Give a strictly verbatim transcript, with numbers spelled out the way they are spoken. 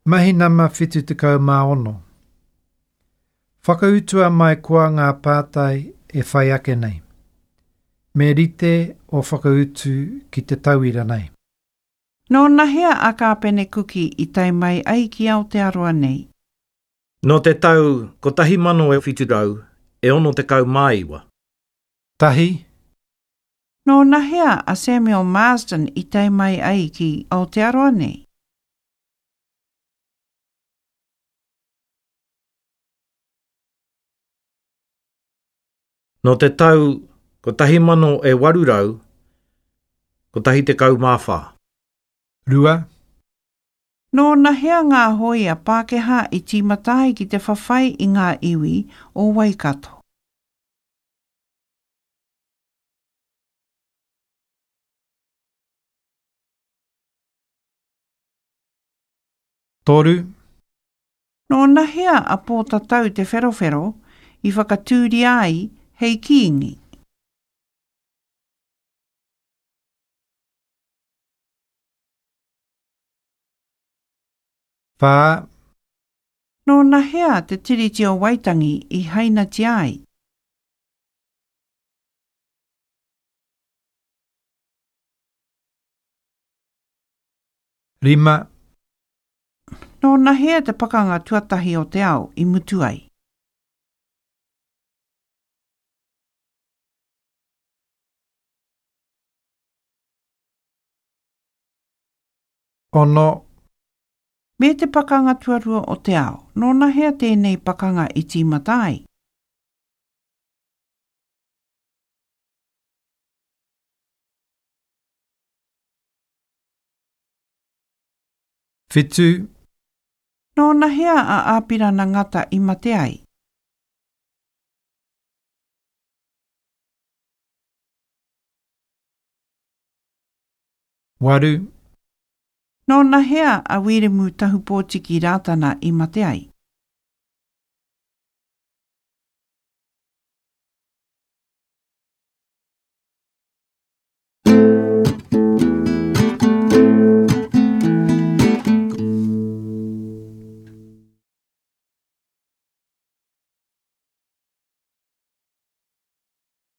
Mahi nama whitu tekau mā ono. Whakautua mai koa ngā pātai e whai ake nei. Me rite o whakautu ki te tauira nei. Nō nahea a Kāpene Kuki i tae mai ai ki Aotearoa nei? Nō te tau kotahi mano e whitu rau e ono tekau mā iwa. Tahi. Nō nahea a Samuel Marsden i tae mai ai ki Aotearoa nei? Nō te tau kotahi mano e waru rau, kotahi tekau mā whā. Rua. Nō nahea ngā hōia Pākehā i tīmata ai ki te whawhai i ngā iwi o Waikato? Toru. Nō nahea a Pōtatau Te Wherowhero i whakatūria ai hei kīngi? Whā. Nō nahea te Tiriti o Waitangi i hainatia ai? Rima. Nō nahea te pakanga tuatahi o te ao i mutu ai? Ono. Me te pakanga tuarua o te ao, nō nahea tēnei pakanga i tīmata ai? Whitu. Nō nahea a Āpirana Ngata i mate ai? Waru. Nō nahea a Wiremu Tahupōtiki Rātana i mate ai?